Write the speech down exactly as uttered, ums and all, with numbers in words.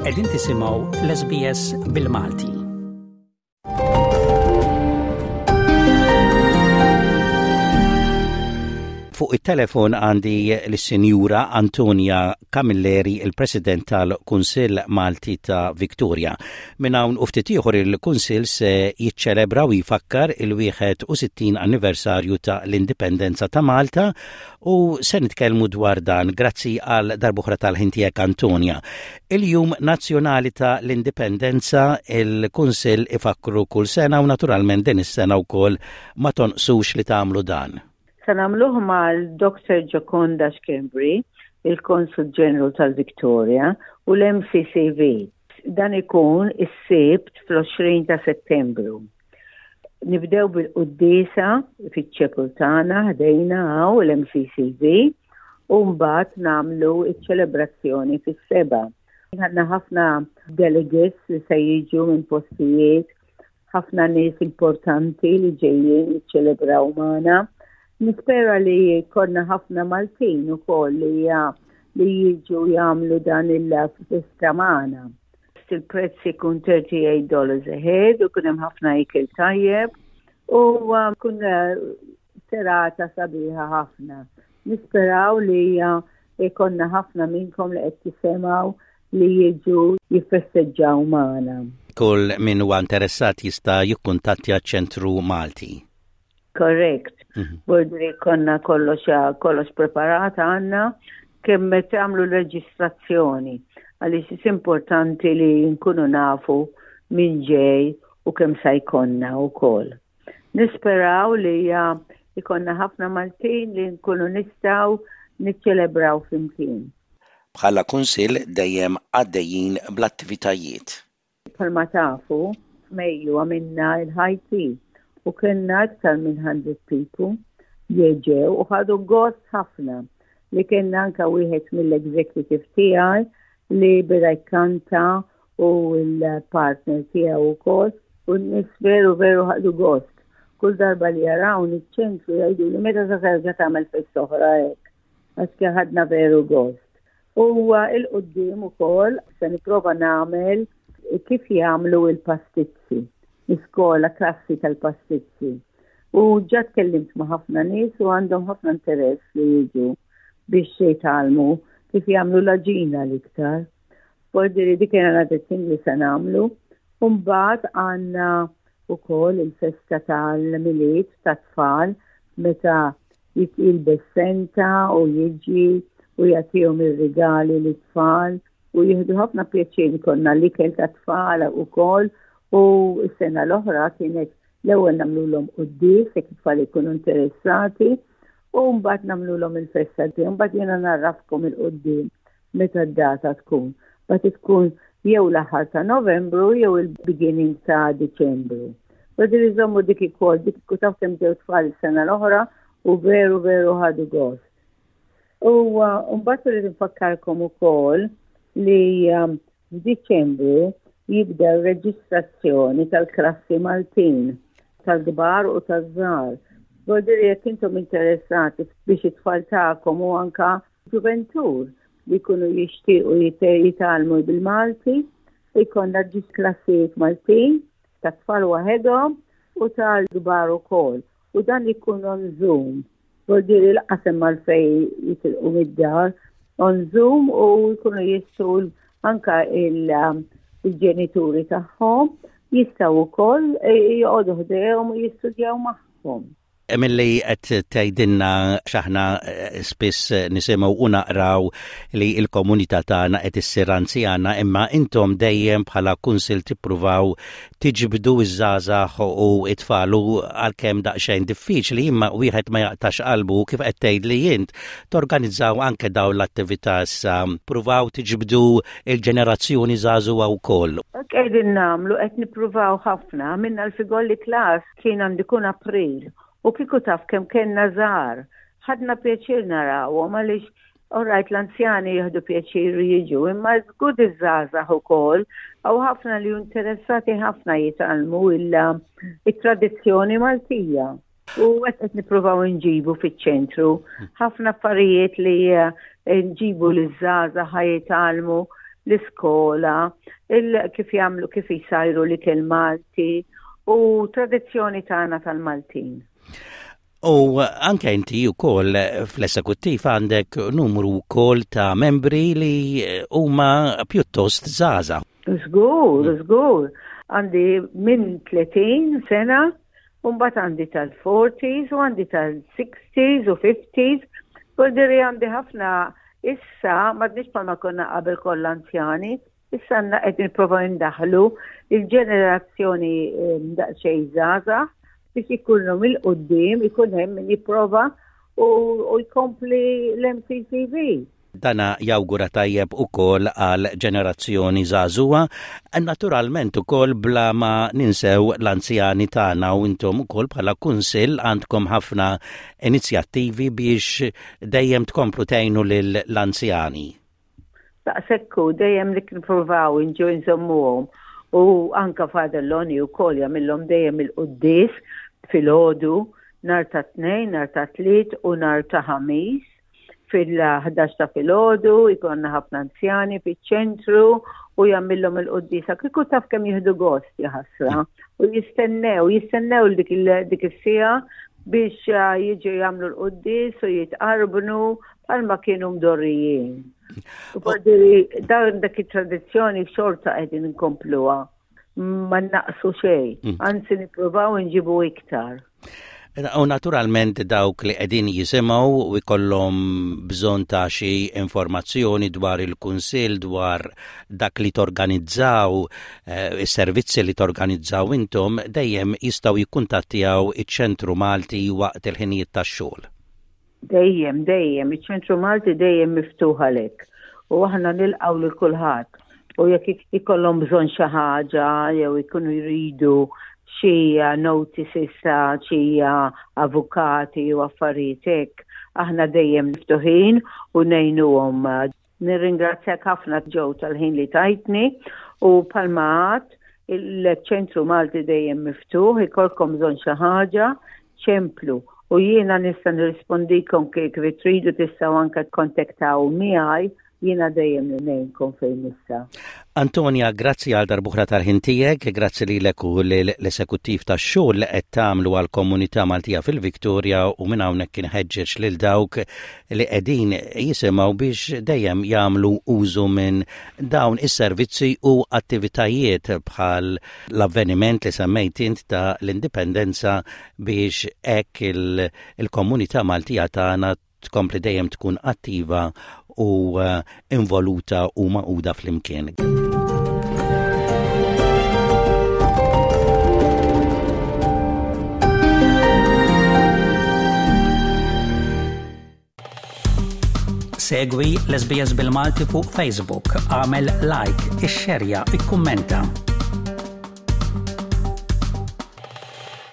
Qegħdin tisimgħu l-S B S bil-Malti. Fuq it-telefon għandi l-Sinjura Antonia Camilleri, il-President tal-Kunsill Malti ta' Victoria. Minn hawn u ftit ieħor il-Kunsill se jiċċelebra u jfakkar il-wieħed u sittin anniversarju ta' l-Indipendenza ta' Malta u se nitkellmu dwar dan. Grazzi għal darb'oħra tal-ħin tiegħek, Antonia. Il-Jum Nazzjonali ta' l-Indipendenza il-Kunsill ifakru kull sena u naturalment din is-sena wkoll ma tonqsux li tagħmlu dan. Se nagħmluh mal-Doctor Gioconda Schembri, il-Consul General tal-Victoria, u l-M C C V. Dan ikun is-Sibt fl-għoxrin ta' Settembru. Nibdew bil-quddiesa fiċ-chapel tagħna ħdejna hawn l-M C C V u mbagħad nagħmlu iċ-ċelebrazzjoni fis-sebgħa. Għandna ħafna delegates li se jiġu minn postijiet, ħafna nies importanti li ġejjin jiċċelebraw magħna. Nispera li jkollna ħafna Maltin ukoll li li jiġu jagħmlu dan il-festa magħna. Il-prezz ikun thirty-eight dollars a head u kun hemm ħafna ikel tajjeb u kun uh, serata sabiħa ħafna. Nisperaw li jkollna ħafna minnkom li qed tisimgħu li jiġu jiffesteġġaw magħna. Kull min huwa interessat jista' jikkuntattja ċentru Malti. Correct. Mhm. Bordri konna kollox kollox preparat għandna kemm tagħmlu l-reġistrazzjoni, għaliex importanti li nkunu nafu min ġej u kemm sa jkollna wkoll. Nisperaw li jkollna ħafna Maltin li nkunu nistgħu niċċelebraw flimkien. Bħala kunsill dejjem għaddejjin bl-attivitajiet. Bħalma tafu, f'Mejju għamilna il-high tea u kellna iktar minn one hundred people ġew u ħadu gost ħafna li kellna anka wieħed mill-executive tiegħi li beda jkanta u l-partner tiegħu wkoll u n-nies veru veru ħadu gost. Kull darba li jaraw iċ-ċentru jgħidu li meta se terġa' tagħmel festa oħra hekk, għax ħadna veru gost. U 'l quddiem ukoll se nipprova nagħmel kif jagħmlu il-pastizzi, iskola klassi tal-pastizzi. U ġa tkellimt ma' ħafna nies u għandhom ħafna interess li jiġu biex jitgħallmu kif jagħmlu l-għaġina l-iktar. Bordiri dik kien thing li se nagħmlu. Mbagħad għandna ukoll il-festa tal-Milied tat-tfal meta jilbes Santa u jiġi u jagħtihom ir-rigali lit-tfal u jieħdu ħafna pjaċir. Konna l-ikel tat-tfal ukoll u s-sena l-oħra kienet l-ewwel nagħmluhom quddies jekk it-tfal ikunu interessati u mbagħad nagħmluhom il-festa, mbagħad jiena ngħarrafkom 'il quddiem meta d-data tkun. Mbagħad tkun jew l-aħħar ta' Novembru jew il-beginning ta' Diċembru. Badi żommu dik ukoll, dik taf kemm ġew tfal is-sena l-oħra u veru veru ħadu gost. U uh, mbagħad irrid nfakkarkom ukoll li um, f'Diċembru jibda reġistrazzjoni tal-klassi Maltin, tal-kbar u taż-żgħar. Bordiri jekk intom interessati biex it-tfal tagħkom u anka ġuventur li jkunu jixtiequ jitgħallmu bil-Malti, jkollna ġis klassijiet Maltin ta' tfal waħedhom u tal-kbar ukoll. U dan ikun on Zoom. Bordiri l-qasem mal-fej jitilqu mid-dar on Zoom u jkunu jistgħu anka il- il-ġenituri tagħhom jistgħu wkoll joqogħdu ħdejhom u jistudjaw magħhom. Milli qed tgħidilna x'aħna eh, spiss nisimgħu u naqraw li l-komunità tagħna qed issir anzjana, imma intom dejjem bħala kunsil tippruvaw tiġbdu iż-żgħażagħ u it-tfal, għalkemm daqsxejn diffiċli, imma wieħed ma jaqtax qalbu. Kif qed tgħid li int torganizzaw anke dawn l-attività issa pruvaw tiġbdu il-ġenerazzjoni żagħżugħa wkoll. Qegħdin nagħmlu, qed nippruvaw ħafna. Minna l-figolli class kien għandu jkun April u kieku taf kemm kellna żgħar. Ħadna pjaċir narawhom għaliex alright, l-anzjani jieħdu pjaċir jiġu, imma żgur iż-żgħażagħ ukoll hawn ħafna li interessati ħafna jitgħallmu il-tradizzjoni Maltija. U qed nippruvaw nġibu fiċ-ċentru ħafna affarijiet li eh, nġibu l-żgħażagħ jitgħallmu l-iskola, kif jagħmlu, kif jisajru l-ikel Malti u tradizzjoni tagħna tal-Maltin. U anke inti wkoll fl-esekuttiv għandek numru wkoll ta' membri li huma pjuttost żgħażagħ. Żgur, żgur. Għandi minn tletin sena, u mbagħad għandi tal-forties u għandi tal-sixties u fifties. Vuoldiri għandi ħafna issa, m'għadniex bħalma konna qabel kollha anzjani, issa għandna qed nipprovaw indaħlu il-ġenerazzjoni daqsxejn żgħażagħ biex ikunu mill-quddiem, ikun hemm min jipprova u jkompli l-M C C V. Dana jawgura tajjeb ukoll għal ġenerazzjoni żagħżugħa, naturalment ukoll bla ma ninsew l-anzjani tagħna, u intom ukoll bħala kunsill għandkom ħafna inizjattivi biex dejjem tkomplu tgħinu lill-anzjani. Daqshekk, dejjem li nippruvaw inġu nżommuhom u anka Father Loni wkoll jagħmilhom dejjem il-quddies filgħodu nhar ta' Tnejn, nhar ta' Tliet u nhar ta' Ħamis fil-ħdax ta' filgħodu, ikollna ħafna anzjani fiċ-ċentru u jagħmilhom il-quddiesa. Kieku taf kemm jieħdu gost, jaħasra. U jistennew, jistennew dik dik is-siegħa biex uh, jiġu jagħmlu l-quddies u jitqarbnu bħalma kienu mdorrijin. U dan dak it-tradizzjoni xorta qegħdin inkompluha. Ma naqsu xejn, mm. anzi nippruvaw nġibu iktar. U naturalment dawk li qegħdin jisimgħu u jkollhom bżonn ta' xi informazzjoni dwar il-kunsill, dwar dak li torganizzaw, eh, is-servizzi li torganizzaw intom, dejjem jistgħu jikkuntattjaw iċ-Ċentru Malti waqt il-ħinijiet tax-xogħol. Dejjem, dejjem, iċ-Ċentru Malti dejjem miftuħ għalek. U aħna nilqgħu lil kulħadd. U jekk ikollhom bżonn xi ħaġa jew ikunu jridu xi notices ta' xi avukati u affarijiet hekk, aħna dejjem miftuħin u ngħinuhom. Nirringrazzjak ħafna, Joe, tal-ħin li tajtni u bħalma għedt, il-Ċentru Malti dejjem miftuħ, ikollkom bżonn xi ħaġa, ċemplu u jiena nista' nirrispondikom kif tridu. Tistgħu anke kontaktaw miegħi, jiena dejjem ngħinkom fejn nista'. Antonia, grazzi għal darb'oħra tal-ħin tiegħek, grazzi lilek u l-esekuttiv tax-xogħol li qed tagħmlu għal komunità Maltija fil-Viktoria, u minn hawnhekk inħeġġeġ lil dawk li qegħdin jisimgħu biex dejjem jagħmlu użu minn dawn is-servizzi u attivitajiet bħal l-avveniment li semmejt int ta' l-Indipendenza, biex hekk il-komunità Maltija tagħna tkompli dejjem tkun attiva u eh, involuta u magħquda flimkien. Segwi l-S B S bil-Malti fuq Facebook, għamel like, ixxerja, ikkummenta.